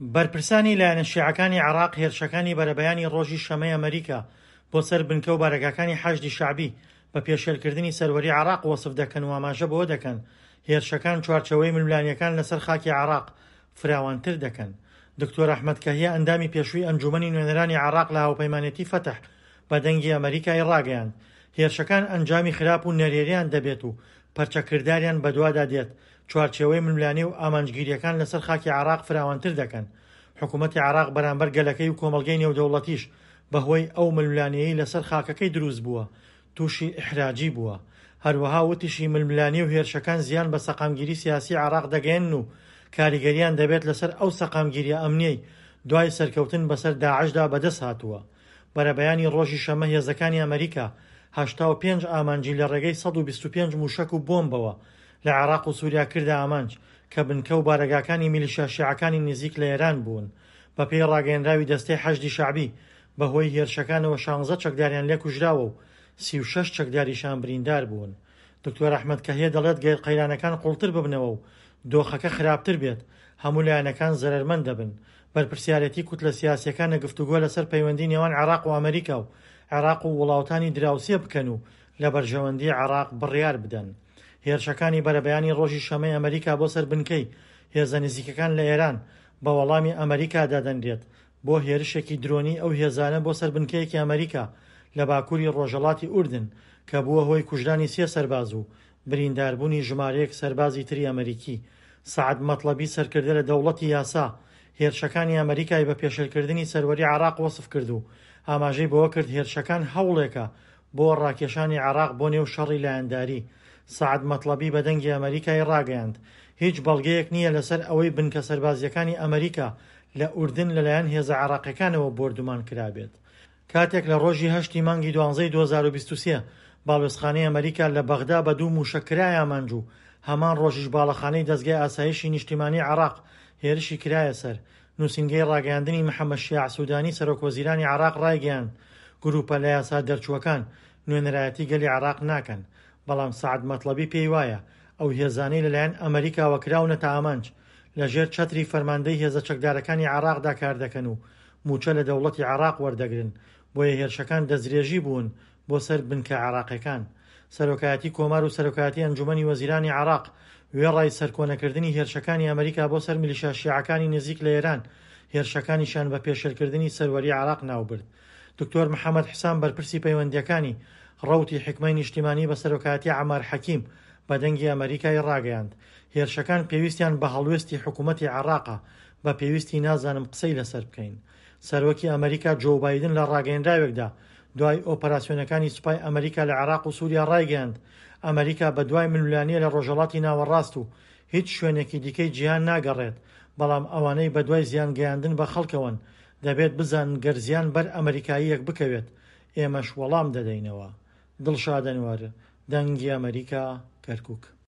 بەرپرسانی لایەنە شیعەکانی عێراق هێرشەکانی بەرەبەیانی ڕۆژی شەمەی ئەمریکا بۆ سەر بنکە و بارەگاکانی حەشدی شەعبی بە پێشێلکردنی سەروەری عێراق وەسف دەکەن و ئاماژە بەوە دەکەن هێرشەکان چوارچێوەی ململانێکان لەسەر خاکی عێراق فراوانتر دەکەن. دکتۆر ئەحمەد کەهیە ئەندامی پێشووی ئەنجوومەنی نوێنەرانی عێراق لە هاوپەیمانێتی فەتح بە دەنگی ئەمەریکای ڕاگەیاند، هێرشەکان ئەنجامی خراپ و نەرێنیان دەبێت و پەرچەکرداریان بەدوادا دێت، چوارچێوەی ململانێ و ئامانجگیرییەکان لەسەر خاکی عێراق فراوانتر دەکەن. حکومەتی عێراق بەرامبەر گەلەکەی و کۆمەڵگەی نێودەوڵەتیش بەهۆی ئەو ململانێیەی لەسەر خاکەکەی دروست بووە، تووشی ئیحراجی بووە. هەروەها وتیشی ململانێ و هێرشەکان زیان بە سەقامگیری سیاسی عێراق دەگەیەنن و کاریگەرییان دەبێت لەسەر ئەو سەقامگیرییە ئەمنییەی دوای سەرکەوتن بەسەر داعشدا بەدەست هاتووە. بەرەبەیانی ڕۆژی شەممە هێزەکانی ئەمەریکا 85 ئامانجی لە ڕێگەی 125 مووشەک و بۆمبەوە لە عێراق و سووریا کردە ئامانج کە بنکە و بارەگاکانی میلیشیا شیعەکانی نزیک لە ئێران بوون. بەپێی ڕاگەیەنراوی دەستەی حەشدی شەعبی، بەهۆی هێرشەکانەوە شانزە چەکداریان لێ کوژراوە و 36 چەکداریشان بریندار بوون. دکتۆر ئەحمەد کەهیە دەڵێت گەر قەیرانەکان قوڵتر ببنەوە و دۆخەکە خراپتر بێت، هەموو لایەنەکان زەرەرمەند دەبن. بەرپرسیارێتی کوتلە سیاسییەکانە گفتوگۆ لەسەر پەیوەندی نێوان عێراق و ئەمەریکا و عێراق و وڵاوتانی دراوسێ بکەن و لە بەرژەوەندی عێراق بڕیار بدەن. هێرشەکانی بەرەبەیانی ڕۆژی شەمەی ئەمەریکا بۆ سەر بنکەی هێزە نزیکەکان لە ئێران بە وەڵامی ئەمەریکا دادەنرێت بۆ هێرشێکی درۆنی ئەو هێزانە بۆ سەر بنکەیەکی ئەمەریکا لە باکووری ڕۆژهەڵاتی ئوردن کە بووە هۆی کوژرانی سێ سەرباز و برینداربوونی ژمارەیەک سەربازی تری ئەمەریکی. سەعد مەتڵەبی سەرکردە لە دەوڵەتی یاسا، هێرشەکانی ئەمەریکای بە پێشێلکردنی سەروەری عێراق وەسف کرد و ئاماژەی بەوە کرد هێرشەکان هەوڵێکە بۆ ڕاکێشانی عێراق بۆ نێو شەڕی لایەنداری. سەعد مەتڵەبی بە دەنگی ئەمەریکای ڕاگەیاند هیچ بەڵگەیەک نییە لەسەر ئەوەی بنکە سەربازییەکانی ئەمەریکا لە ئوردن لەلایەن هێزە عێراقیەکانەوە بۆردومان کرابێت. کاتێک لە ڕۆژی هەشتی مانگی دوانزەی 2023 باڵوێزخانەی ئەمەریکا لە بەغدا بە دوو مووشەک کرایە ئامانج و هەمان ڕۆژیش باڵەخانەی دەزگای ئاسایشی نیشتیمانی عێراق هێرشی کرایە سەر، نووسینگەی ڕاگەیاندنی محەمەد شیاع سودانی سەرۆکوەزیرانی عێراق ڕایگەیاند گرووپە لە یاسا دەرچووەکان نوێنەرایەتی گەلی عێراق ناکەن، بەڵام سەعد مەتڵەبی پێی وایە ئەو هێزانەی لەلایەن ئەمەریکاوە کراونەتە ئامانج لەژێر چەتری فەرماندەی هێزە چەکدارەکانی عێراقدا کاردەکەن و مووچە لە دەوڵەتی عێراق وەردەگرن، بۆیە هێرشەکان دەستدرێژی بوون بۆ سەر بنکە عێراقیەکان. سەرۆکایەتی کۆمار و سەرۆکایەتی ئەنجومەنی وەزیرانی عێراق وێڕای سەرکۆنەکردنی هێرشەکانی ئەمریکا بۆ سەر میلیشیا شیعەکانی نزیک لە ئێران، هێرشەکانیشیان بە پێشێلکردنی سەروەری عێراق ناوبرد. دکتۆر محەمەد حسام بەرپرسی پەیوەندییەکانی ڕەوتی حیکمەی نیشتیمانی بە سەرۆکایەتی عەمار حەکیم بە دەنگی ئەمەریکای ڕاگەیاند، هێرشەکان پێویستیان بە هەڵوێستی حکومەتی عێراقە، بە پێویستی نازانم قسەی لەسەر بکەین. سەرۆکی ئەمەریکا جۆو بایدن لە ڕاگەیەنراوێکدا دوای ئۆپەراسیۆنەکانی سوپای ئەمەریکا لە عێراق و سوریا ڕایگەیاند، ئەمەریکا بەدوای ململانێ لە ڕۆژهەڵاتی ناوەڕاست و هیچ شوێنێکی دیکەی جیهان ناگەڕێت، بەڵام ئەوانەی بەدوای زیان گەیاندن بە خەڵکەوەن دەبێت بزانن گەر زیان بەر ئەمەریکاییەک بکەوێت ئێمەش وەڵام دەدەینەوە. دڵشاد ئەنوەر، دەنگی ئەمەریکا، کەرکوک.